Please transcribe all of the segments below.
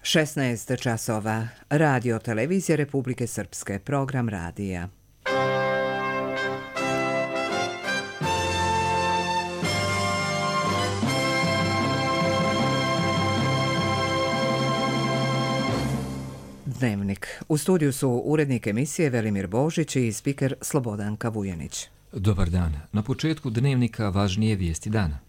16 časova. Radio televizija Republike Srpske. Program radija. Dnevnik. U studiju su urednik emisije Velimir Božić i spiker Slobodanka Vujanić. Dobar dan. Na početku dnevnika važnije vijesti dana.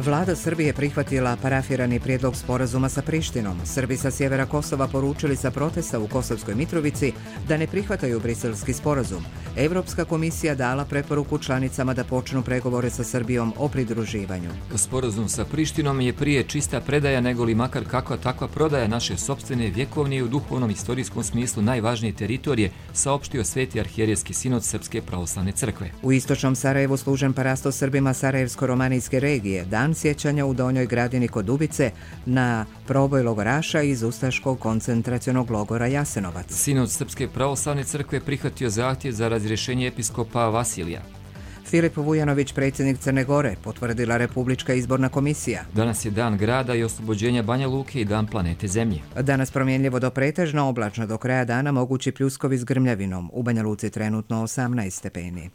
Vlada Srbije prihvatila parafirani prijedlog sporazuma sa Prištinom. Srbi sa sjevera Kosova poručili sa protesta u Kosovskoj Mitrovici da ne prihvataju briselski sporazum. Evropska komisija dala preporuku članicama da počnu pregovore sa Srbijom o pridruživanju. Sporazum sa Prištinom je prije čista predaja nego li makar kakva takva prodaja naše sopstvene vjekovnije u duhovnom istorijskom smislu najvažnije teritorije, saopštio Sveti arhijerejski sinod Srpske pravoslavne crkve. U istočnom Sarajevu služen parasto Srbima Sarajevsko-romanijske regije, dan sjećanja u Donjoj Gradini kod Dubice na proboj logoraša iz ustaškog koncentracionog logora Jasenovac. Sinod Srpske pravoslavne crkve prihvatio zahtjev za razrješenje episkopa Vasilija. Filip Vujanović, predsjednik Crne Gore, potvrdila Republička izborna komisija. Danas je dan grada i oslobođenja Banja Luke i dan planete Zemlje. Danas promjenljivo do pretežno, oblačno do kraja dana, mogući pljuskovi s grmljavinom. U Banja Luci trenutno 18 stepeni.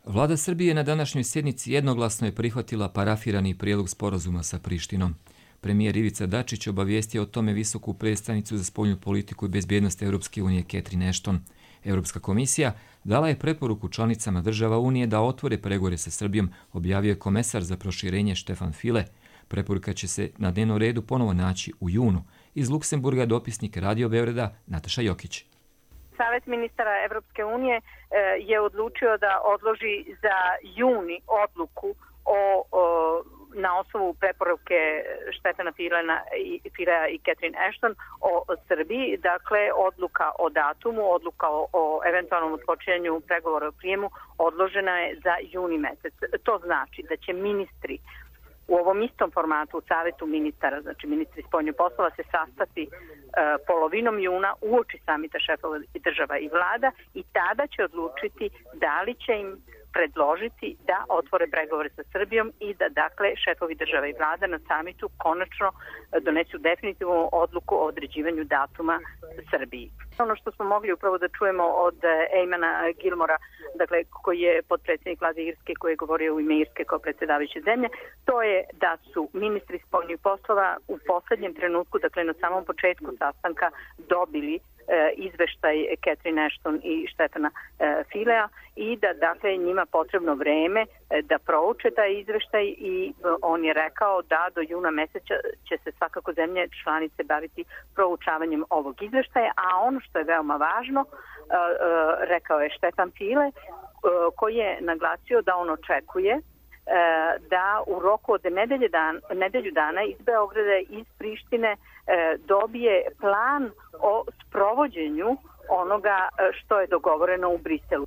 Vlada Srbije na današnjoj sjednici jednoglasno je prihvatila parafirani prijedlog sporazuma sa Prištinom. Premijer Ivica Dačić obavijestio o tome visoku predstavnicu za spoljnu politiku i bezbjednost Europske unije Catherine Ashton. Europska komisija dala je preporuku članicama država Unije da otvore pregovore sa Srbijom, objavio je komesar za proširenje Štefan File. Preporuka će se na dnevnom redu ponovo naći u junu. Iz Luksemburga dopisnik Radio Beograda Nataša Jokić. Savet ministara Evropske unije je odlučio da odloži za juni odluku na osnovu preporuke Štefana Filea i Catherine Ashton o Srbiji. Dakle, odluka o datumu, odluka o eventualnom odpočinjanju pregovora o prijemu odložena je za juni mjesec. To znači da će ministri u ovom istom formatu u Savetu ministara, znači ministri spoljnih poslova, se sastati polovinom juna uoči samita šefova država i vlada i tada će odlučiti da li će im predložiti da otvore pregovore sa Srbijom i da, dakle, šefovi država i vlada na samitu konačno donesu definitivnu odluku o određivanju datuma Srbiji. Ono što smo mogli upravo da čujemo od Eamona Gilmora, dakle, koji je potpredsjednik vlade Irske, koji je govorio u ime Irske kao predsjedavajuće zemlje, to je da su ministri spoljnih poslova u posljednjem trenutku, dakle na samom početku sastanka, dobili izveštaj Catherine Ashton i Štefana Filea i da, dakle, njima potrebno vreme da prouče taj izveštaj i on je rekao da do juna mjeseca će se svakako zemlje članice baviti proučavanjem ovog izveštaja, a ono što je veoma važno, rekao je Štefan File, koji je naglasio da on očekuje da u roku od nedelju dana iz Beograda i iz Prištine dobije plan o sprovođenju onoga što je dogovoreno u Briselu.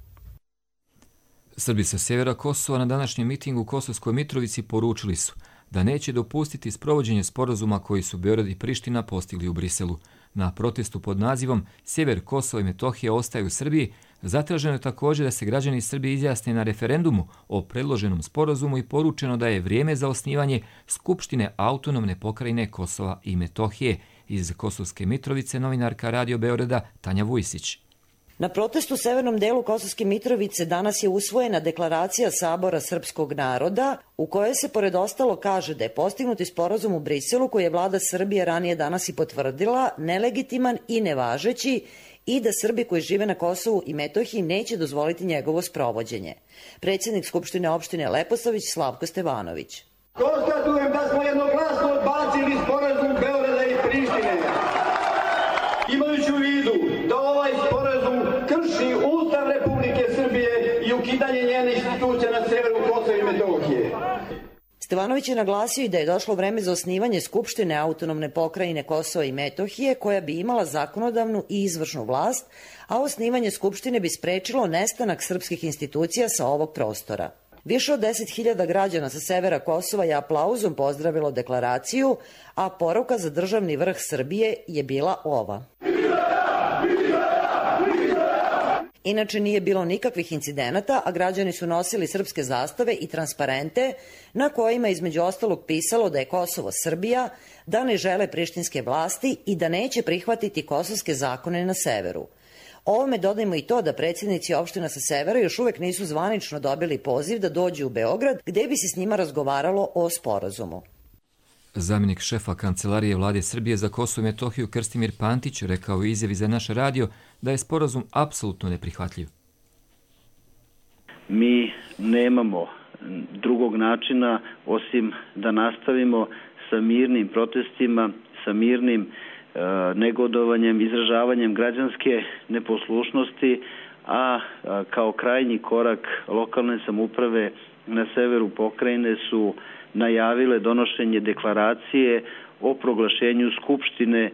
Srbi sa sjevera Kosova na današnjem mitingu u Kosovskoj Mitrovici poručili su da neće dopustiti sprovođenje sporazuma koji su Beograd i Priština postigli u Briselu. Na protestu pod nazivom Sjever Kosova i Metohije ostaje u Srbiji zatraženo je također da se građani Srbije izjasne na referendumu o predloženom sporazumu i poručeno da je vrijeme za osnivanje Skupštine autonomne pokrajine Kosova i Metohije. Iz Kosovske Mitrovice novinarka Radio Beograda Tanja Vujsić. Na protestu u severnom delu Kosovske Mitrovice danas je usvojena deklaracija Sabora srpskog naroda u kojoj se pored ostalo kaže da je postignuti sporazum u Briselu koji je vlada Srbije ranije danas i potvrdila nelegitiman i nevažeći i da Srbi koji žive na Kosovu i Metohiji neće dozvoliti njegovo sprovođenje. Predsjednik Skupštine opštine Leposavić Slavko Stevanović. Konstatujem da smo jednoglasno odbacili sporazum Beograda i Prištine. Imajući u vidu da ovaj sporazum krši Ustav Republike Srbije i ukidanje njenih institucija na severu Kosova i Metohije. Stevanović je naglasio i da je došlo vreme za osnivanje Skupštine autonomne pokrajine Kosova i Metohije koja bi imala zakonodavnu i izvršnu vlast, a osnivanje Skupštine bi sprečilo nestanak srpskih institucija sa ovog prostora. Više od 10.000 građana sa severa Kosova je aplauzom pozdravilo deklaraciju, a poruka za državni vrh Srbije je bila ova. Inače nije bilo nikakvih incidenata, a građani su nosili srpske zastave i transparente na kojima između ostalog pisalo da je Kosovo Srbija, da ne žele prištinske vlasti i da neće prihvatiti kosovske zakone na severu. Ovome dodajmo i to da predsjednici opština sa severa još uvek nisu zvanično dobili poziv da dođu u Beograd, gde bi se s njima razgovaralo o sporazumu. Zamjenik šefa Kancelarije Vlade Srbije za Kosovo i Metohiju Krstimir Pantić rekao u izjavi za naš radio da je sporazum apsolutno neprihvatljiv. Mi nemamo drugog načina osim da nastavimo sa mirnim protestima, sa mirnim negodovanjem, izražavanjem građanske neposlušnosti, a kao krajnji korak lokalne samouprave na severu pokrajine su najavile donošenje deklaracije o proglašenju Skupštine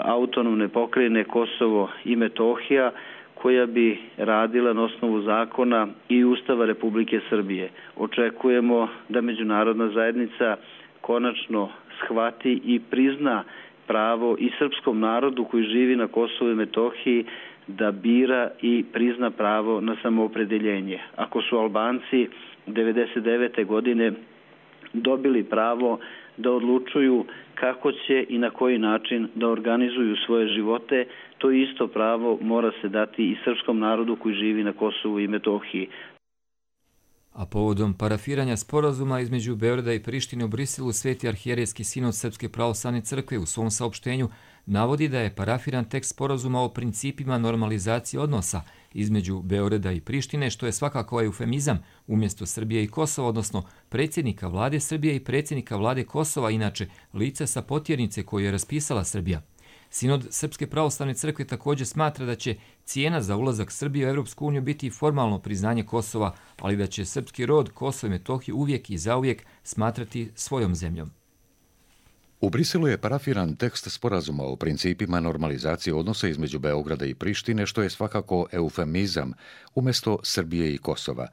autonomne pokrajine Kosovo i Metohija, koja bi radila na osnovu zakona i Ustava Republike Srbije. Očekujemo da međunarodna zajednica konačno shvati i prizna pravo i srpskom narodu koji živi na Kosovu i Metohiji da bira i prizna pravo na samoopredeljenje. Ako su Albanci 1999. godine dobili pravo da odlučuju kako će i na koji način da organizuju svoje živote, to isto pravo mora se dati i srpskom narodu koji živi na Kosovu i Metohiji. A povodom parafiranja sporazuma između Beograda i Prištine u Briselu, Sveti arhijerejski sinod Srpske pravoslavne crkve u svom saopštenju navodi da je parafiran tekst sporazuma o principima normalizacije odnosa između Beograda i Prištine, što je svakako eufemizam umjesto Srbije i Kosova, odnosno predsjednika vlade Srbije i predsjednika vlade Kosova, inače lice sa potjernice koju je raspisala Srbija. Sinod Srpske pravoslavne crkve također smatra da će cijena za ulazak Srbije u Europsku uniju biti formalno priznanje Kosova, ali da će srpski rod Kosovo i Metohiju uvijek i zauvijek smatrati svojom zemljom. U Briselu je parafiran tekst sporazuma o principima normalizacije odnosa između Beograda i Prištine, što je svakako eufemizam umjesto Srbije i Kosova,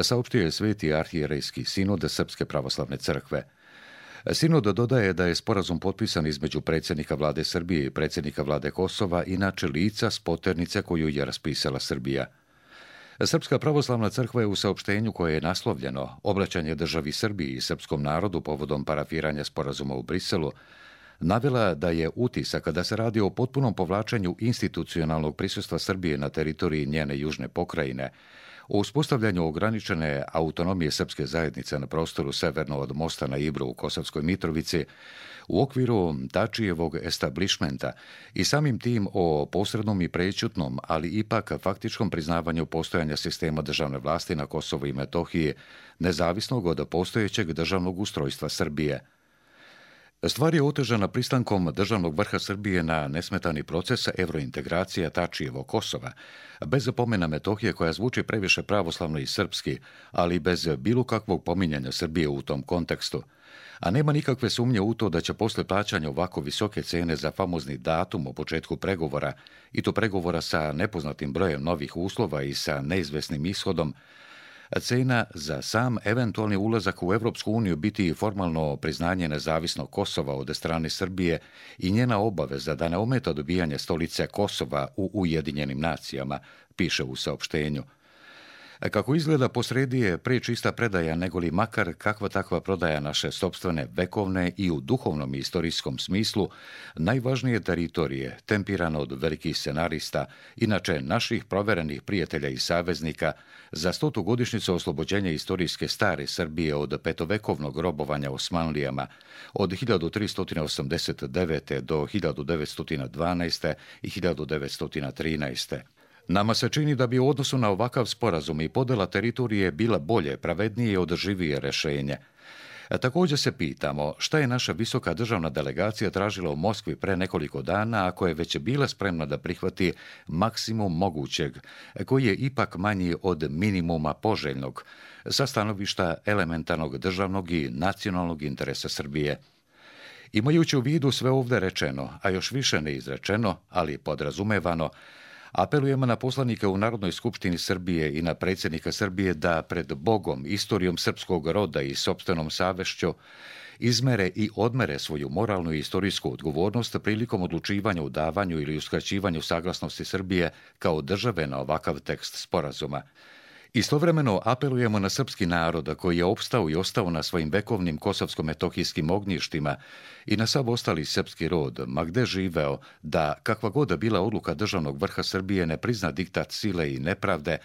saopštio je Sveti arhijerejski sinod Srpske pravoslavne crkve. Sinod dodaje da je sporazum potpisan između predsjednika vlade Srbije i predsjednika vlade Kosova, inače lica s poternice koju je raspisala Srbija. Srpska pravoslavna crkva je u saopštenju koje je naslovljeno Obraćanje državi Srbiji i srpskom narodu povodom parafiranja sporazuma u Briselu navela da je utisak da se radi o potpunom povlačenju institucionalnog prisustva Srbije na teritoriji njene južne pokrajine, o uspostavljanju ograničene autonomije srpske zajednice na prostoru severno od mosta na Ibru u Kosovskoj Mitrovici, u okviru Tačijevog establishmenta i samim tim o posrednom i prećutnom, ali ipak faktičkom priznavanju postojanja sistema državne vlasti na Kosovu i Metohiji, nezavisnog od postojećeg državnog ustrojstva Srbije. Stvar je otežana pristankom državnog vrha Srbije na nesmetani proces evrointegracija Tačijevog Kosova, bez pomena Metohije koja zvuči previše pravoslavno i srpski, ali bez bilo kakvog pominjanja Srbije u tom kontekstu. A nema nikakve sumnje u to da će posle plaćanja ovako visoke cene za famozni datum o početku pregovora, i to pregovora sa nepoznatim brojem novih uslova i sa neizvesnim ishodom, cena za sam eventualni ulazak u Evropsku uniju biti formalno priznanje nezavisnog Kosova od strane Srbije i njena obaveza da ne ometa dobijanje stolice Kosova u Ujedinjenim nacijama, piše u saopštenju. Kako izgleda, posredi je pre čista predaja negoli makar kakva takva prodaja naše sopstvene vekovne i u duhovnom i istorijskom smislu najvažnije teritorije, tempirano od velikih scenarista, inače naših proverenih prijatelja i saveznika, za 100. godišnjicu oslobođenja istorijske stare Srbije od petovekovnog robovanja Osmanlijama, od 1389. do 1912. i 1913. Nama se čini da bi u odnosu na ovakav sporazum i podela teritorije bila bolje, pravednije i održivije rešenje. Također se pitamo šta je naša visoka državna delegacija tražila u Moskvi pre nekoliko dana, ako je već bila spremna da prihvati maksimum mogućeg, koji je ipak manji od minimuma poželjnog, sa stanovišta elementarnog državnog i nacionalnog interesa Srbije. Imajući u vidu sve ovdje rečeno, a još više neizrečeno, ali podrazumevano, apelujemo na poslanike u Narodnoj skupštini Srbije i na predsjednika Srbije da pred Bogom, istorijom srpskog roda i sopstvenom savešću izmere i odmere svoju moralnu i historijsku odgovornost prilikom odlučivanja u davanju ili uskraćivanju saglasnosti Srbije kao države na ovakav tekst sporazuma. Istovremeno apelujemo na srpski narod koji je opstao i ostao na svojim vekovnim kosovsko-metohijskim ognjištima i na sav ostali srpski rod, ma gde živeo, da kakva god bila odluka državnog vrha Srbije ne prizna diktat sile i nepravde,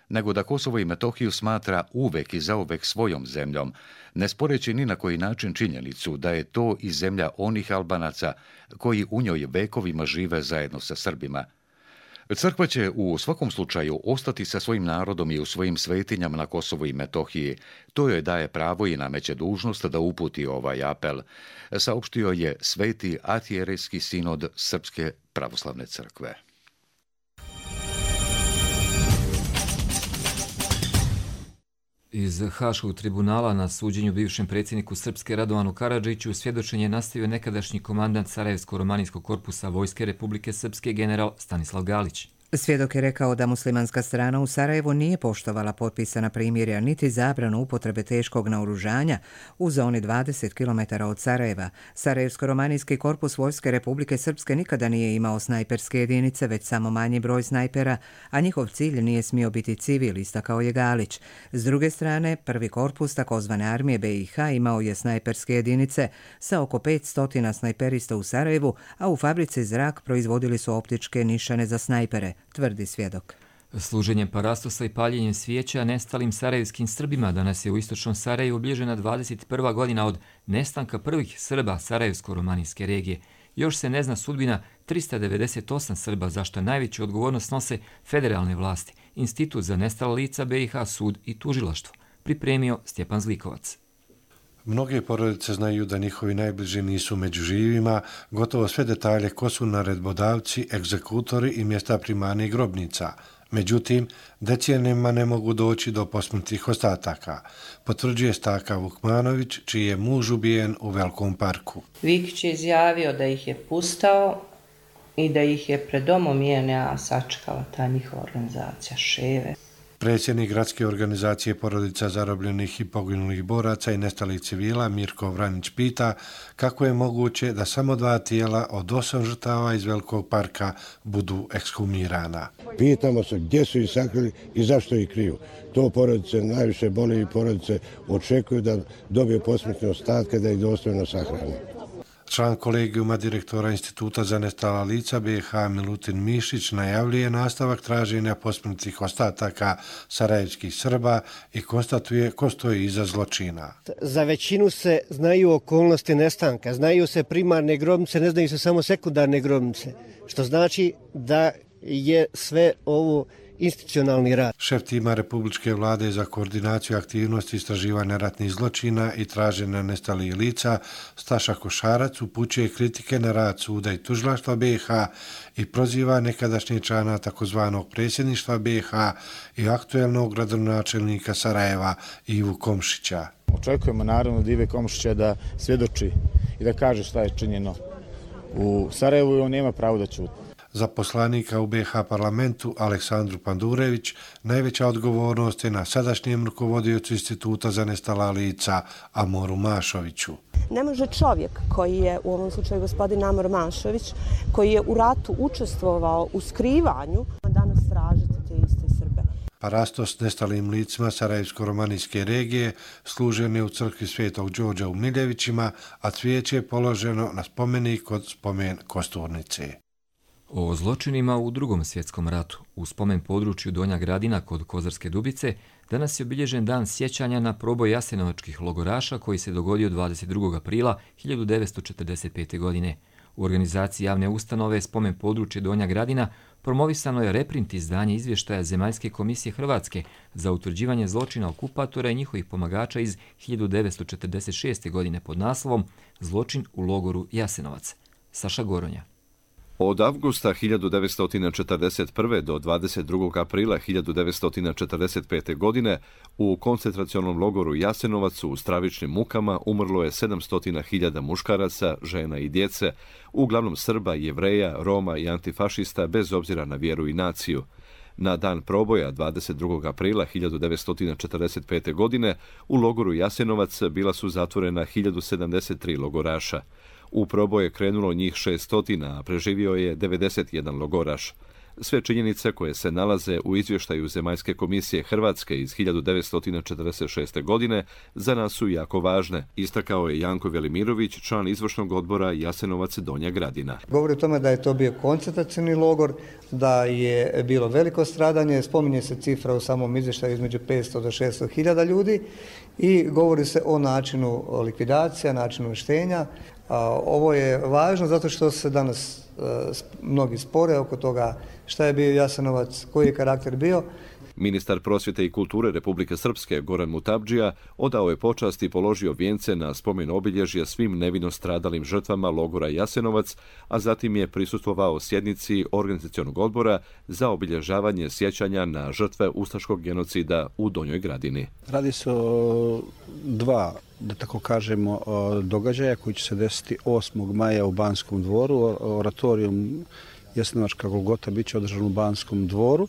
nego da Kosovo i Metohiju smatra uvek i zauvek svojom zemljom, ne sporeći ni na koji način činjenicu da je to i zemlja onih Albanaca koji u njoj vekovima žive zajedno sa Srbima. Crkva će u svakom slučaju ostati sa svojim narodom i u svojim svetinjama na Kosovu i Metohiji. To joj daje pravo i nameće dužnost da uputi ovaj apel, saopštio je Sveti arhijerejski sinod Srpske pravoslavne crkve. Iz Haškog tribunala na suđenju bivšem predsjedniku Srpske Radovanu Karadžiću svjedočenje nastavio nekadašnji komandant Sarajevsko-romanijskog korpusa Vojske Republike Srpske general Stanislav Galić. Svjedok je rekao da muslimanska strana u Sarajevu nije poštovala potpisana primirja niti zabranu upotrebe teškog naoružanja u zoni 20 km od Sarajeva. Sarajevsko-romanijski korpus Vojske Republike Srpske nikada nije imao snajperske jedinice, već samo manji broj snajpera, a njihov cilj nije smio biti civil, istakao je Galić. S druge strane, prvi korpus takozvane armije BiH imao je snajperske jedinice sa oko 500 snajperista u Sarajevu, a u fabrici Zrak proizvodili su optičke nišane za snajpere, tvrdi svjedok. Služenjem parastosa i paljenjem svijeća nestalim sarajevskim Srbima danas je u istočnom Sarajevu obilježena 21. godina od nestanka prvih Srba Sarajevsko-romanijske regije. Još se ne zna sudbina 398 Srba, za što najveću odgovornost nose federalne vlasti, Institut za nestala lica BiH, sud i tužilaštvo, pripremio Stjepan Zlikovac. Mnoge porodice znaju da njihovi najbliži nisu među živima, gotovo sve detalje ko su naredbodavci, egzekutori i mjesta primarnih grobnica. Međutim, decenijama ne mogu doći do posmrtnih ostataka, potvrđuje Staka Vukmanović, čiji je muž ubijen u Velikom parku. Vikić je izjavio da ih je pustao i da ih je pred domom JNA sačekala ta njihova organizacija Ševe. Predsjednik gradske organizacije porodica zarobljenih i poginulih boraca i nestalih civila Mirko Vranić pita kako je moguće da samo 2 tijela od 8 žrtava iz Velikog parka budu ekshumirana. Pitamo se gdje su ih sakrili i zašto ih kriju. To porodice najviše boli i porodice očekuju da dobiju posmrtne ostatke da ih dostojno sahrane. Član kolegijuma direktora Instituta za nestala lica BiH Milutin Mišić najavljuje nastavak traženja posmrtnih ostataka sarajevskih Srba i konstatuje ko stoji iza zločina. Za većinu se znaju okolnosti nestanka, znaju se primarne grobnice, ne znaju se samo sekundarne grobnice, što znači da je sve ovo institucionalni rad. Šef tima Republičke vlade za koordinaciju aktivnosti istraživanja ratnih zločina i traženja nestalih lica Staša Košarac upućuje kritike na rad suda i tužilaštva BiH i proziva nekadašnjeg člana takozvanog predsjedništva BiH i aktuelnog gradonačelnika Sarajeva Ivu Komšića. Očekujemo naravno od Ive Komšića da svjedoči i da kaže šta je činjeno u Sarajevu i on nema pravo da ćuti. Za poslanika u BiH parlamentu Aleksandru Pandurević najveća odgovornost je na sadašnjem rukovodiocu Instituta za nestala lica Amoru Mašoviću. Ne može čovjek koji je, u ovom slučaju gospodin Amor Mašović, koji je u ratu učestvovao u skrivanju, danas tražiti te iste Srbe. Parastos nestalim licima Sarajevsko-romanijske regije služen je u crkvi Svetog Đorđa u Miljevićima, a cvijeće je položeno na spomenik kod spomen Kosturnice. O zločinima u Drugom svjetskom ratu u spomen području Donja Gradina kod Kozarske Dubice danas je obilježen dan sjećanja na proboj jasenovačkih logoraša koji se dogodio 22. aprila 1945. godine. U organizaciji javne ustanove spomen područje Donja Gradina promovisano je reprint izdanje izvještaja Zemaljske komisije Hrvatske za utvrđivanje zločina okupatora i njihovih pomagača iz 1946. godine pod naslovom Zločin u logoru Jasenovac. Saša Goronja. Od avgusta 1941. do 22. aprila 1945. godine u koncentracionom logoru Jasenovac u stravičnim mukama umrlo je 700.000 muškaraca, žena i djece, uglavnom Srba, Jevreja, Roma i antifašista bez obzira na vjeru i naciju. Na dan proboja 22. aprila 1945. godine u logoru Jasenovac bila su zatvorena 1073 logoraša. U proboj je krenulo njih 600, a preživio je 91 logoraš. Sve činjenice koje se nalaze u izvještaju Zemaljske komisije Hrvatske iz 1946. godine za nas su jako važne, istakao je Janko Velimirović, član izvršnog odbora Jasenovac Donja Gradina. Govori o tome da je to bio koncentracioni logor, da je bilo veliko stradanje, spominje se cifra u samom izvještaju između 500 do 600 hiljada ljudi i govori se o načinu likvidacija, načinu štenja. Ovo je važno zato što se danas mnogi spore oko toga šta je bio Jasenovac, koji je karakter bio. Ministar prosvjete i kulture Republike Srpske Goran Mutabdžija odao je počast i položio vijence na spomen obilježja svim nevino stradalim žrtvama logora Jasenovac, a zatim je prisustvovao sjednici organizacionog odbora za obilježavanje sjećanja na žrtve ustaškog genocida u Donjoj Gradini. Radi se o dva, da tako kažemo, događaja koji će se desiti 8. maja u Banskom dvoru. Oratorijum Jasenovačka Golgota bit će održan u Banskom dvoru,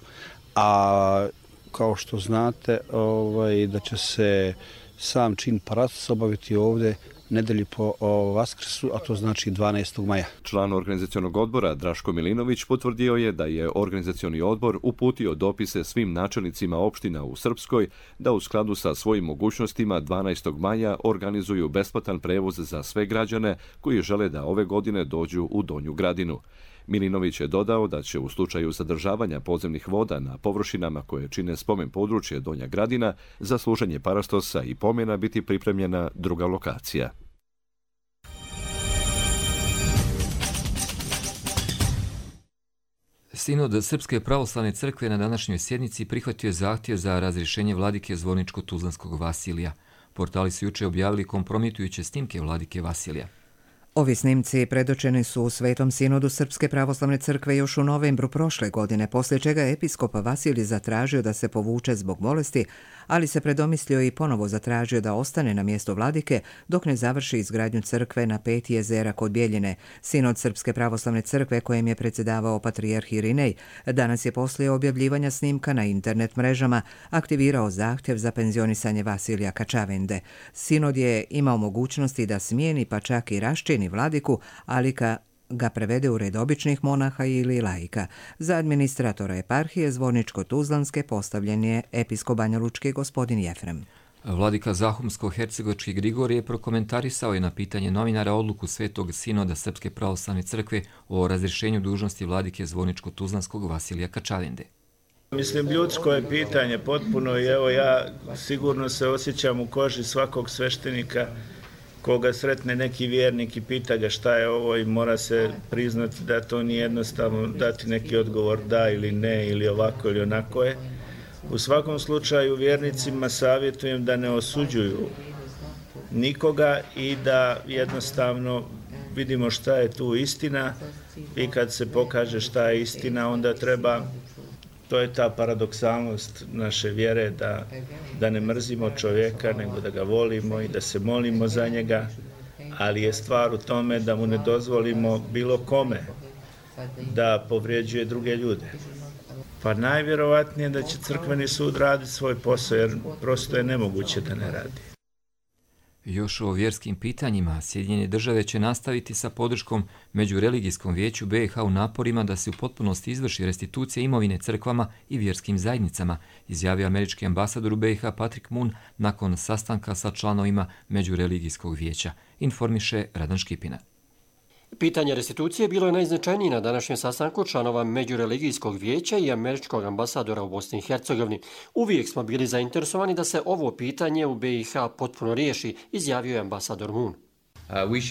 a kao što znate da će se sam čin paratus obaviti ovdje nedelji po Vaskrsu, a to znači 12. maja. Član organizacionog odbora Draško Milinović potvrdio je da je organizacioni odbor uputio dopise svim načelnicima opština u Srpskoj da u skladu sa svojim mogućnostima 12. maja organizuju besplatan prevoz za sve građane koji žele da ove godine dođu u Donju Gradinu. Milinović je dodao da će u slučaju zadržavanja podzemnih voda na površinama koje čine spomen područje Donja Gradina za služenje parastosa i pomena biti pripremljena druga lokacija. Sinod Srpske pravoslavne crkve na današnjoj sjednici prihvatio je zahtjev za razrješenje vladike Zvorničko-Tuzlanskog Vasilija. Portali su juče objavili kompromitujuće snimke vladike Vasilija. Ovi snimci predočeni su u Svetom sinodu Srpske pravoslavne crkve još u novembru prošle godine, poslije čega je episkop Vasilij zatražio da se povuče zbog bolesti, ali se predomislio i ponovo zatražio da ostane na mjestu vladike dok ne završi izgradnju crkve na 5 jezera kod Bjeljine. Sinod Srpske pravoslavne crkve kojem je predsjedavao patrijarh Irinej danas je poslije objavljivanja snimka na internet mrežama aktivirao zahtjev za penzionisanje Vasilija Kačavende. Sinod je imao mogućnosti da smijeni pa čak i raščini vladiku, ali ga prevede u red običnih monaha ili laika. Za administratora eparhije Zvorničko-Tuzlanske postavljen je episkop banjalučki gospodin Jefrem. Vladika Zahumsko-Hercegovački Grigorije prokomentarisao je na pitanje novinara odluku Svetog sinoda Srpske pravoslavne crkve o razrješenju dužnosti vladike Zvorničko-Tuzlanskog Vasilija Kačavende. Mislim, ljudsko je pitanje potpuno i evo ja sigurno se osjećam u koži svakog sveštenika koga sretne neki vjernik i pita ga šta je ovo i mora se priznati da to nije jednostavno dati neki odgovor da ili ne ili ovako ili onako je. U svakom slučaju vjernicima savjetujem da ne osuđuju nikoga i da jednostavno vidimo šta je tu istina i kad se pokaže šta je istina onda treba, to je ta paradoksalnost naše vjere da ne mrzimo čovjeka nego da ga volimo i da se molimo za njega, ali je stvar u tome da mu ne dozvolimo bilo kome da povrijeđuje druge ljude. Pa najvjerovatnije da će crkveni sud raditi svoj posao jer prosto je nemoguće da ne radi. Još o vjerskim pitanjima, Sjedinjene države će nastaviti sa podrškom Međureligijskom vijeću BiH u naporima da se u potpunosti izvrši restitucija imovine crkvama i vjerskim zajednicama, izjavio američki ambasador u BiH Patrick Moon nakon sastanka sa članovima Međureligijskog vijeća, informiše Radan Škipina. Pitanje restitucije bilo je najznačajnije na današnjem sastanku članova Međureligijskog vijeća i američkog ambasadora u Bosni i Hercegovini. Uvijek smo bili zainteresovani da se ovo pitanje u BiH potpuno riješi, izjavio je ambasador Moon. Mi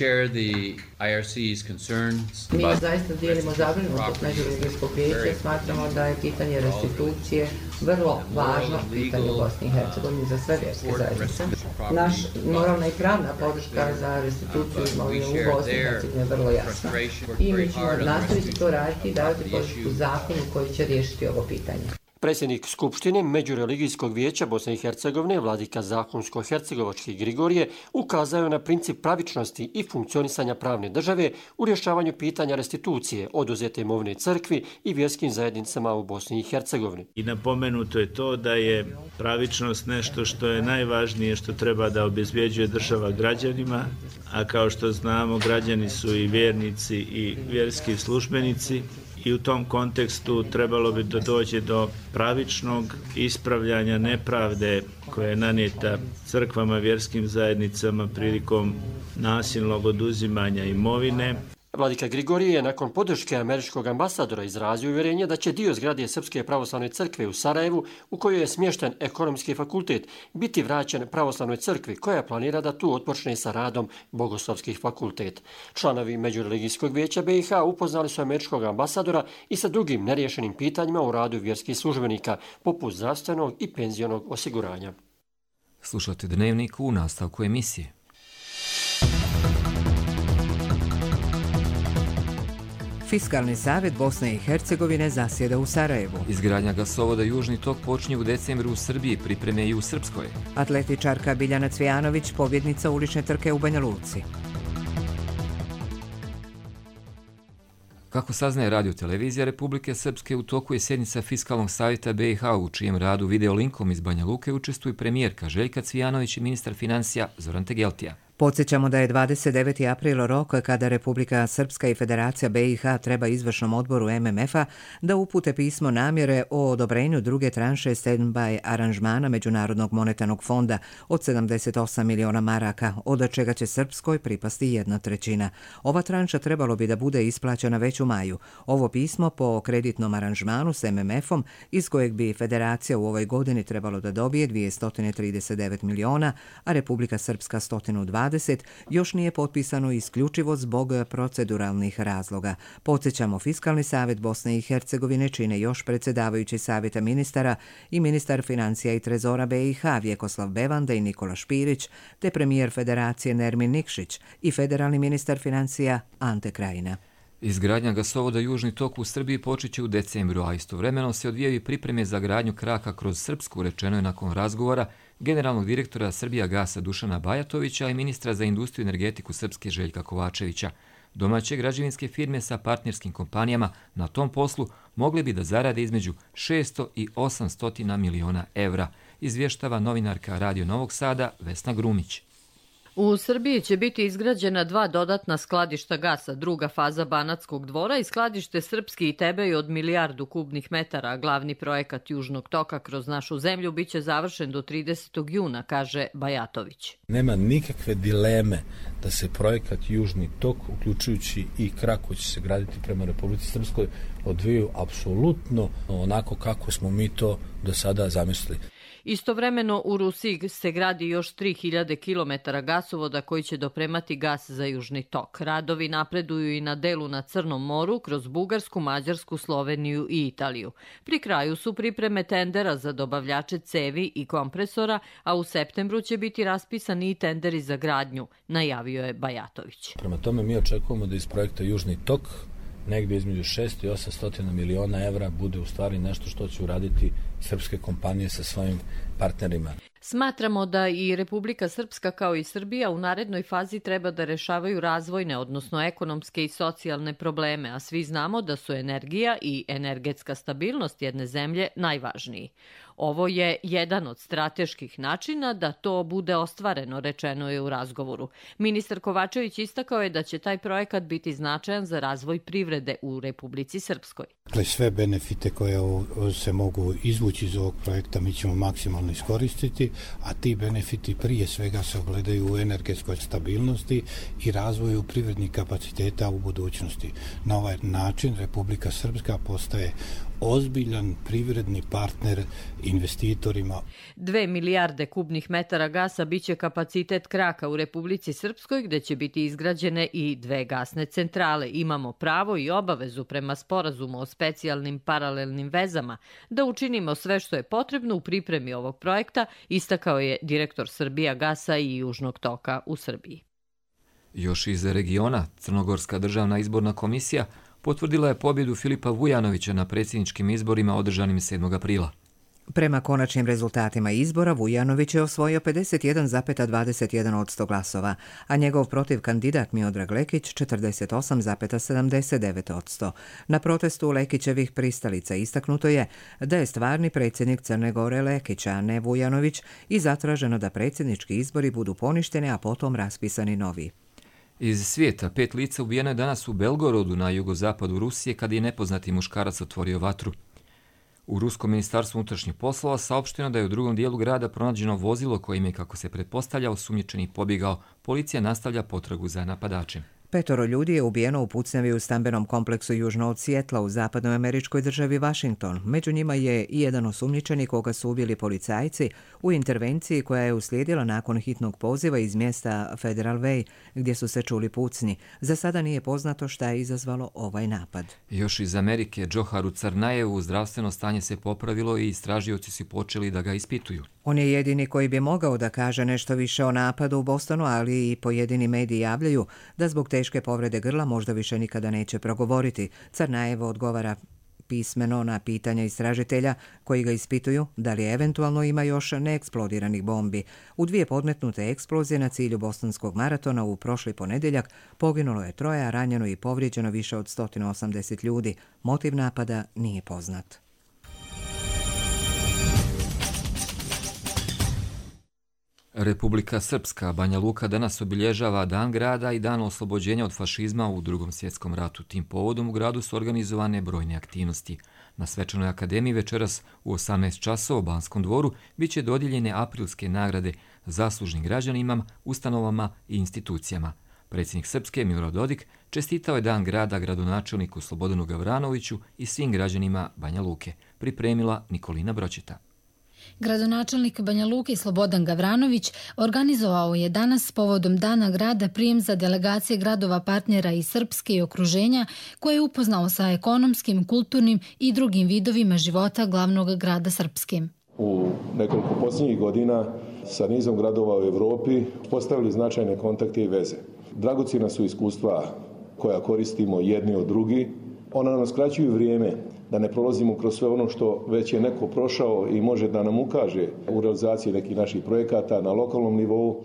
zaista dijelimo zabrinutost Međureligijskog vijeća, smatramo da je pitanje restitucije vrlo važno pitanje u Bosni i Hercegovini za sve vjerske zajednice. Naš moralna i pravna podrška za restituciju imovine u Bosni i Hercegovini je vrlo jasna i mi ćemo nastaviti to raditi i davati podršku zakonu koji će riješiti ovo pitanje. Predsjednik Skupštine Međureligijskog vijeća Bosne i Hercegovine, vladika Zahumsko-hercegovački Grigorije, ukazao na princip pravičnosti i funkcionisanja pravne države u rješavanju pitanja restitucije oduzete imovine crkvi i vjerskim zajednicama u Bosni i Hercegovini. I napomenuto je to da je pravičnost nešto što je najvažnije, što treba da obezbjeđuje država građanima, a kao što znamo, građani su i vjernici i vjerski službenici. I u tom kontekstu trebalo bi da dođe do pravičnog ispravljanja nepravde koja je nanijeta crkvama, vjerskim zajednicama prilikom nasilnog oduzimanja imovine. Vladika Grigorije je nakon podrške američkog ambasadora izrazio uvjerenje da će dio zgrade Srpske pravoslavne crkve u Sarajevu, u kojoj je smješten ekonomski fakultet, biti vraćen pravoslavnoj crkvi koja planira da tu otpočne sa radom bogoslovskih fakultet. Članovi Međureligijskog vijeća BiH upoznali su američkog ambasadora i sa drugim neriješenim pitanjima u radu vjerskih službenika, poput zdravstvenog i penzionog osiguranja. Slušate Dnevnik u nastavku emisije. Fiskalni savjet Bosne i Hercegovine zasjeda u Sarajevu. Izgradnja gasovoda Južni tok počinje u decembru u Srbiji, pripreme i u Srpskoj. Atletičarka Biljana Cvijanović, pobjednica ulične trke u Banja Luci. Kako saznaje Radio-televizija Republike Srpske, u toku je sjednica Fiskalnog savjeta BiH, u čijem radu video linkom iz Banja Luke učestvuju premijerka Željka Cvijanović i ministar financija Zoran Tegeltija. Podsjećamo da je 29. april rok kada Republika Srpska i Federacija BiH treba izvršnom odboru MMF-a da upute pismo namjere o odobrenju druge tranše stand-by aranžmana Međunarodnog monetarnog fonda od 78 miliona maraka, od čega će Srpskoj pripasti 1/3. Ova tranša trebalo bi da bude isplaćena već u maju. Ovo pismo po kreditnom aranžmanu s MMF-om, iz kojeg bi Federacija u ovoj godini trebalo da dobije 239 miliona, a Republika Srpska 120, još nije potpisano isključivo zbog proceduralnih razloga. Podsjećamo, Fiskalni savjet Bosne i Hercegovine čine još predsjedavajući savjeta ministara i ministar financija i trezora BiH Vjekoslav Bevanda i Nikola Špirić, te premijer Federacije Nermin Nikšić i federalni ministar financija Ante Krajina. Izgradnja gasovoda Južni tok u Srbiji počeće u decembru, a istovremeno se odvijaju pripreme za gradnju kraka kroz Srpsku, rečeno je nakon razgovora generalnog direktora Srbijagasa Dušana Bajatovića i ministra za industriju i energetiku Srpske Željka Kovačevića. Domaće građevinske firme sa partnerskim kompanijama na tom poslu mogli bi da zarade između 600 i 800 miliona evra, izvještava novinarka Radio Novog Sada Vesna Grumić. U Srbiji će biti izgrađena 2 dodatna skladišta gasa, druga faza Banatskog dvora i skladište Srpski i Tebej od 1 milijardu kubnih metara. Glavni projekat Južnog toka kroz našu zemlju biće završen do 30. juna, kaže Bajatović. Nema nikakve dileme da se projekat Južni tok, uključujući i krak koji će se graditi prema Republici Srpskoj, odvijaju apsolutno onako kako smo mi to do sada zamislili. Istovremeno u Rusiji se gradi još 3000 km gasovoda koji će dopremati gas za Južni tok. Radovi napreduju i na delu na Crnom moru kroz Bugarsku, Mađarsku, Sloveniju i Italiju. Pri kraju su pripreme tendera za dobavljače cevi i kompresora, a u septembru će biti raspisani i tenderi za gradnju, najavio je Bajatović. Prema tome mi očekujemo da iz projekta Južni tok negdje između 600 i 800 miliona evra bude u stvari nešto što će uraditi srpske kompanije sa svojim partnerima. Smatramo da i Republika Srpska kao i Srbija u narednoj fazi treba da rešavaju razvojne, odnosno ekonomske i socijalne probleme, a svi znamo da su energija i energetska stabilnost jedne zemlje najvažniji. Ovo je jedan od strateških načina da to bude ostvareno, rečeno je u razgovoru. Ministar Kovačević istakao je da će taj projekat biti značajan za razvoj privrede u Republici Srpskoj. Sve benefite koje se mogu izvući iz ovog projekta mi ćemo maksimalno iskoristiti, a ti benefiti prije svega se ogledaju u energetskoj stabilnosti i razvoju privrednih kapaciteta u budućnosti. Na ovaj način Republika Srpska postaje ozbiljan privredni partner investitorima. 2 milijarde kubnih metara gasa biće kapacitet kraka u Republici Srpskoj, gde će biti izgrađene i 2 gasne centrale. Imamo pravo i obavezu prema sporazumu o specijalnim paralelnim vezama da učinimo sve što je potrebno u pripremi ovog projekta, istakao je direktor Srbijagasa i Južnog toka u Srbiji. Još iz regiona, Crnogorska državna izborna komisija potvrdila je pobjedu Filipa Vujanovića na predsjedničkim izborima održanim 7. aprila. Prema konačnim rezultatima izbora, Vujanović je osvojio 51,21% glasova, a njegov protiv kandidat Miodrag Lekić 48,79%. Na protestu Lekićevih pristalica istaknuto je da je stvarni predsjednik Crne Gore Lekić, a ne Vujanović, i zatraženo da predsjednički izbori budu poništeni, a potom raspisani novi. Iz svijeta 5 lica ubijeno je danas u Belgorodu na jugozapadu Rusije kad je nepoznati muškarac otvorio vatru. U Ruskom ministarstvu unutrašnjih poslova saopšteno da je u drugom dijelu grada pronađeno vozilo kojim je, kako se pretpostavlja, osumnjičenik pobjegao. Policija nastavlja potragu za napadačem. 5 ljudi je ubijeno u pucnjavi u stambenom kompleksu južno od Sijetla u zapadnoj američkoj državi Washington. Među njima je i jedan osumnjičeni koga su ubili policajci u intervenciji koja je uslijedila nakon hitnog poziva iz mjesta Federal Way gdje su se čuli pucnji. Za sada nije poznato šta je izazvalo ovaj napad. Još iz Amerike, Džoharu Crnajevu zdravstveno stanje se popravilo i istražioci su počeli da ga ispituju. On je jedini koji bi mogao da kaže nešto više o napadu u Bostonu, ali i pojedini mediji javljaju da zbog teške povrede grla možda više nikada neće progovoriti. Crnajevo odgovara pismeno na pitanja istražitelja koji ga ispituju da li eventualno ima još neeksplodiranih bombi. U 2 podmetnute eksplozije na cilju bostonskog maratona u prošli ponedjeljak poginulo je 3, a ranjeno i povrijeđeno više od 180 ljudi. Motiv napada nije poznat. Republika Srpska, Banja Luka, danas obilježava Dan grada i Dan oslobođenja od fašizma u Drugom svjetskom ratu. Tim povodom u gradu su organizovane brojne aktivnosti. Na Svečanoj akademiji večeras u 18 časova u Banskom dvoru bit će dodijeljene aprilske nagrade zaslužnim građanima, ustanovama i institucijama. Predsjednik Srpske Milorad Dodik čestitao je Dan grada gradonačelniku Slobodanu Gavranoviću i svim građanima Banja Luke. Pripremila Nikolina Bročeta. Gradonačelnik Banja Luke Slobodan Gavranović organizovao je danas povodom Dana grada prijem za delegacije gradova partnera iz Srpske i okruženja koje je upoznao sa ekonomskim, kulturnim i drugim vidovima života glavnog grada Srpske. U nekoliko posljednjih godina sa nizom gradova u Evropi postavili značajne kontakte i veze. Dragocjena su iskustva koja koristimo jedni od drugi. Ona nam skraćuju vrijeme da ne prolazimo kroz sve ono što već je neko prošao i može da nam ukaže u realizaciji nekih naših projekata na lokalnom nivou.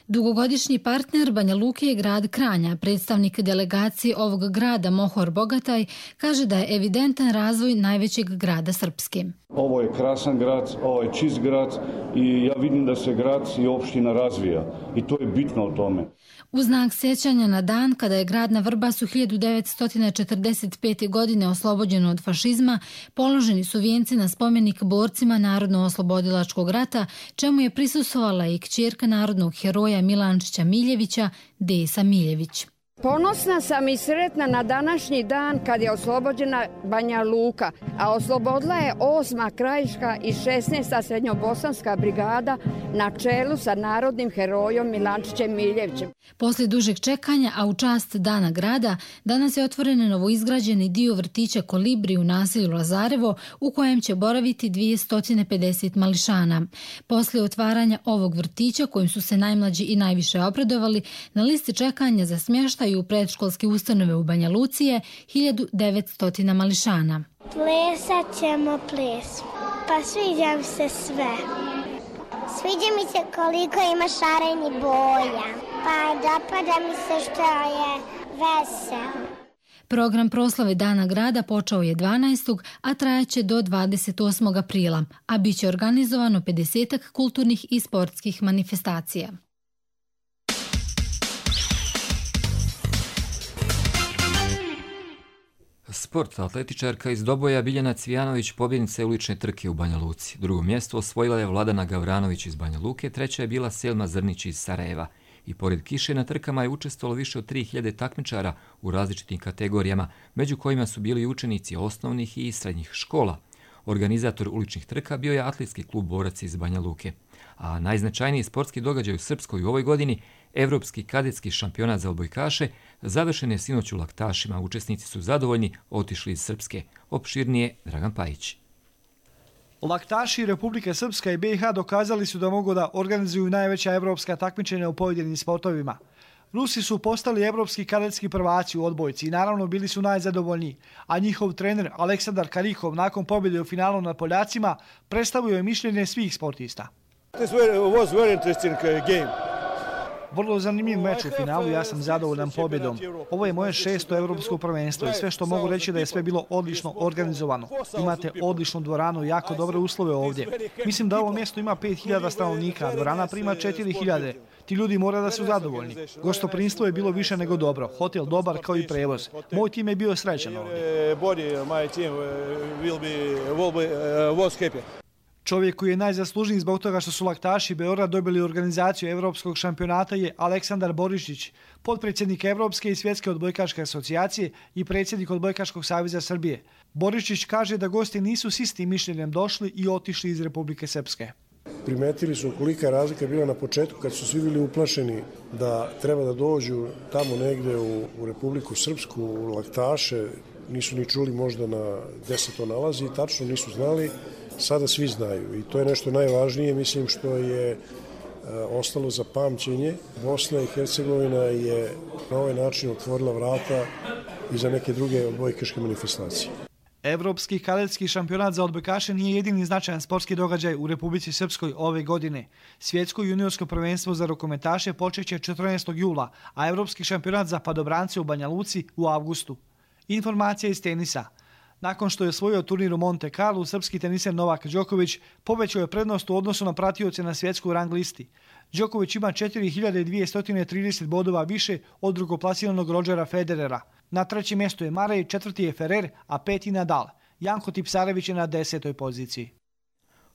Dugogodišnji partner Banja Luke je grad Kranja. Predstavnik delegacije ovog grada Mohor Bogataj kaže da je evidentan razvoj najvećeg grada Srpske. Ovo je krasan grad, ovo je čist grad i ja vidim da se grad i opština razvija i to je bitno o tome. U znak sjećanja na dan kada je grad na Vrbasu 1945. godine oslobođen od fašizma, položeni su vijenci na spomenik borcima Narodno-oslobodilačkog rata, čemu je prisustvovala i kćerka narodnog heroja Milančića Miljevića, Desa Miljević. Ponosna sam i sretna na današnji dan kad je oslobođena Banja Luka, a oslobodila je 8. krajiška i 16. srednjobosanska brigada na čelu sa narodnim herojom Milančićem Miljevićem. Poslije dužeg čekanja, a u čast Dana grada, danas je otvoren novoizgrađeni dio vrtića Kolibri u naselju Lazarevo, u kojem će boraviti 250 mališana. Poslije otvaranja ovog vrtića, kojim su se najmlađi i najviše obradovali, na listi čekanja za smještaj u predškolske ustanove u Banja Luci je 1900 mališana. Plesat ćemo ples. Pa sviđa mi se sve. Sviđa mi se koliko ima šarenih boja. Pa dopada mi se što je veselo. Program proslave Dana grada počeo je 12. a trajaće do 28. aprila, a bit će organizovano 50 kulturnih i sportskih manifestacija. Sport, atletičarka iz Doboja Biljana Cvijanović pobjednica je ulične trke u Banja Luci. Drugo mjesto osvojila je Vladana Gavranović iz Banja Luke, treća je bila Selma Zrnić iz Sarajeva. I pored kiše na trkama je učestvovalo više od 3000 takmičara u različitim kategorijama, među kojima su bili učenici osnovnih i srednjih škola. Organizator uličnih trka bio je atletski klub Borac iz Banja Luke. A najznačajniji sportski događaj u Srpskoj u ovoj godini, Evropski kadetski šampionat za odbojkaše, završen je sinoć u Laktašima. Učesnici su zadovoljni, otišli iz Srpske. Opširnije Dragan Pajić. Laktaši Republike Srpska i BiH dokazali su da mogu da organizuju najveća evropska takmičenja u pojedinim sportovima. Rusi su postali evropski kadetski prvaci u odbojci i naravno bili su najzadovoljniji, a njihov trener Aleksandar Karikov nakon pobjede u finalu nad Poljacima predstavio je mišljenje svih sportista. Vrlo zanimljiv meč u finalu, ja sam zadovoljan pobjedom. Ovo je moje 6. evropsko prvenstvo i sve što mogu reći da je sve bilo odlično organizovano. Imate odličnu dvoranu i jako dobre uslove ovdje. Mislim da ovo mjesto ima 5000 stanovnika, a dvorana prima 4000. Ti ljudi mora da su zadovoljni. Gostoprimstvo je bilo više nego dobro, hotel dobar kao i prevoz. Moj tim je bio srećan ovdje. Čovjek koji je najzaslužniji zbog toga što su laktaši Beograd dobili organizaciju Evropskog šampionata je Aleksandar Borišić, potpredsjednik Evropske i Svjetske odbojkaške asocijacije i predsjednik Odbojkaškog saveza Srbije. Borišić kaže da gosti nisu s istim mišljenjem došli i otišli iz Republike Srpske. Primetili su kolika je razlika bila na početku kad su svi bili uplašeni da treba da dođu tamo negde u Republiku Srpsku, u laktaše, nisu ni čuli možda gde se to nalazi, tačno nisu znali. Sada svi znaju i to je nešto najvažnije, mislim što je ostalo za pamćenje. Bosna i Hercegovina je na ovaj način otvorila vrata i za neke druge odbojkaške manifestacije. Evropski kadetski šampionat za odbojkaše nije jedini značajan sportski događaj u Republici Srpskoj ove godine. Svjetsko juniorsko prvenstvo za rukometaše počeće 14. jula, a Evropski šampionat za padobrance u Banja Luci u avgustu. Informacija iz tenisa. Nakon što je osvojio turnir u Monte Carlo, srpski teniser Novak Đoković povećao je prednost u odnosu na pratioce na svjetsku rang listi. Đoković ima 4230 bodova više od drugoplasiranog Rodgera Federera. Na trećem mjestu je Marej, četvrti je Ferrer, a peti Nadal. Janko Tipsarević je na 10. poziciji.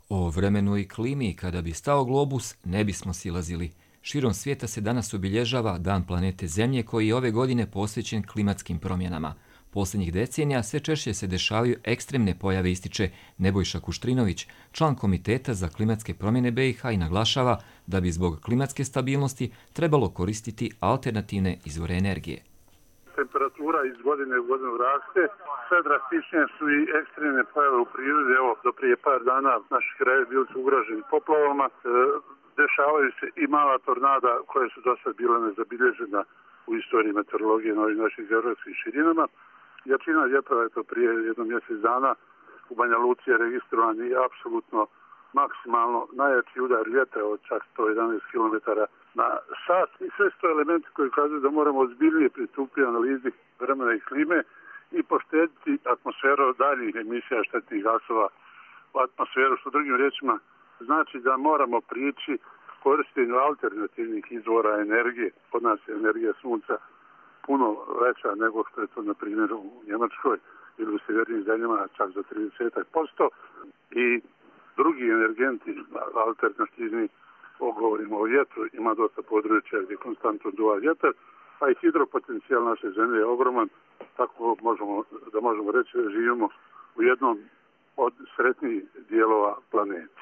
O vremenu i klimi, kada bi stao globus, ne bismo silazili. Širom svijeta se danas obilježava Dan planete Zemlje koji je ove godine posvećen klimatskim promjenama. Posljednjih decenija sve češće se dešavaju ekstremne pojave, ističe Nebojša Kuštrinović, član Komiteta za klimatske promjene BiH, i naglašava da bi zbog klimatske stabilnosti trebalo koristiti alternativne izvore energije. Temperatura iz godine u godinu raste, sve drastičnije su i ekstremne pojave u prirodi. Evo, do prije par dana naši krajevi bili su ugroženi poplavama, dešavaju se i mala tornada koje su do sad bile nezabilježena u istoriji meteorologije na ovim našim geografskim širinama. Jačina vjetrova je to prije jedno mjesec dana u Banja Luci je registrovan i apsolutno maksimalno najjači udar vjetra od čak 111 km na sat. I sve su to elementi koji ukazuju da moramo ozbiljnije pristupiti analizi vremena i klime i poštediti atmosferu daljih emisija štetnih gasova u atmosferu, što drugim riječima znači da moramo prići korištenju alternativnih izvora energije. Kod nas je energija sunca puno veća nego što je to na primjer u Njemačkoj ili u sjevernim zemljama, čak za 30%. I drugi energenti alternativni, govorimo o vjetru, ima dosta područja gdje konstantno duva vjetar, a i hidropotencijal naše zemlje je ogroman, tako možemo reći da živimo u jednom od sretnijih dijelova planete.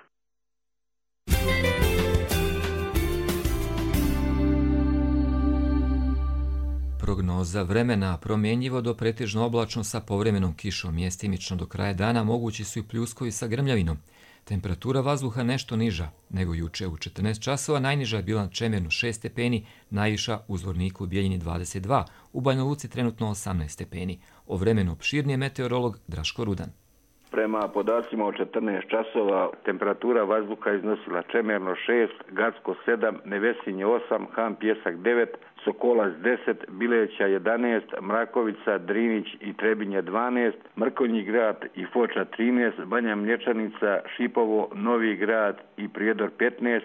Prognoza vremena: promjenjivo do pretežno oblačno sa povremenom kišom, mjestimično do kraja dana mogući su i pljuskovi sa grmljavinom. Temperatura vazduha nešto niža nego juče. U 14 časova najniža je bila na Čemernu 6 stepeni, najviša u Zvorniku i Bijeljini 22, u Banja Luci trenutno 18 stepeni. O vremenu opširnije meteorolog Draško Rudan. Prema podacima od 14 časova temperatura vazduha iznosila Čemerno 6, Gacko 7, Nevesinje 8, Han Pjesak 9, Sokolac 10, Bileća 11, Mrakovica, Drinić i Trebinje 12, Mrkonji grad i Foča 13, Banja Mlječanica, Šipovo, Novi grad i Prijedor 15,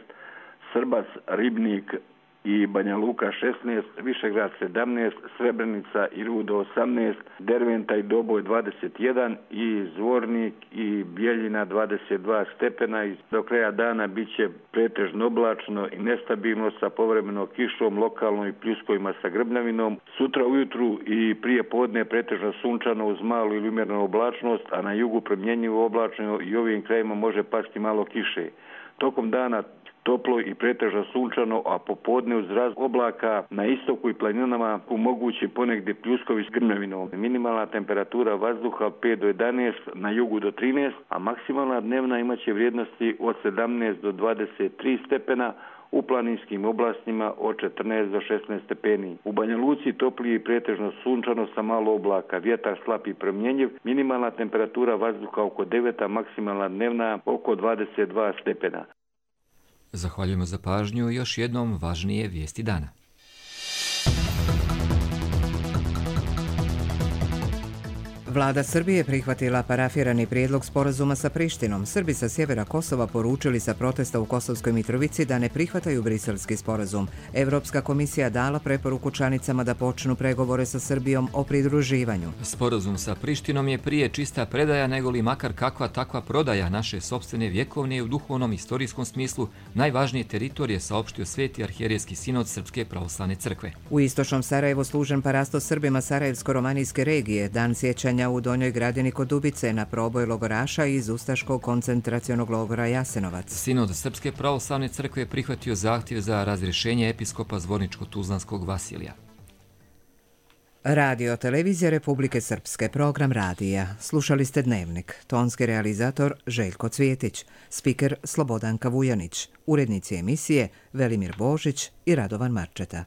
Srbac, Ribnik i Banja Luka 16, Višegrad 17, Srebrenica i Rudo 18, Derventa i Doboj 21 i Zvornik i Bijeljina 22 stepena. I do kraja dana bit će pretežno oblačno i nestabilno sa povremenom kišom, lokalno i pljuskovima sa grmljavinom. Sutra ujutru i prije podne pretežno sunčano uz malu ili umjerenu oblačnost, a na jugu promjenjivo oblačno i ovim krajima može pasti malo kiše. Tokom dana toplo i pretežno sunčano, a popodne uz raz oblaka na istoku i planinama mogući ponegdje pljuskovi s grmljavinom. Minimalna temperatura vazduha 5 do 11, na jugu do 13, a maksimalna dnevna imaće vrijednosti od 17 do 23 stepena. u planinskim oblastima od 14 do 16 stepeni. U Banja Luci toplije i pretežno sunčano sa malo oblaka, vjetar slab i promjenjiv, minimalna temperatura vazduha oko 9, a maksimalna dnevna oko 22 stepena. Zahvaljujemo za pažnju i još jednom važnije vijesti dana. Vlada Srbije prihvatila parafirani prijedlog sporazuma sa Prištinom. Srbi sa sjevera Kosova poručili sa protesta u Kosovskoj Mitrovici da ne prihvataju briselski sporazum. Evropska komisija dala preporuku članicama da počnu pregovore sa Srbijom o pridruživanju. Sporazum sa Prištinom je prije čista predaja nego li makar kakva takva prodaja naše sopstvene vjekovne i u duhovnom istorijskom smislu najvažnije teritorije, saopštio Sveti arhijerejski sinod Srpske pravoslavne crkve. U istočnom Sarajevu služen parastos Srbima Sarajevsko-romanijske regije, dan sjećanja u Donjoj Gradini kod Dubice na proboj logoraša iz Ustaškog koncentracionog logora Jasenovac. Sinod Srpske pravoslavne crkve prihvatio zahtjev za razrješenje episkopa Zvorničko-Tuzlanskog Vasilija. Radio televizija Republike Srpske, program radija. Slušali ste Dnevnik. Tonski realizator Željko Cvijetić, spiker Slobodanka Vujanić, urednici emisije Velimir Božić i Radovan Marčeta.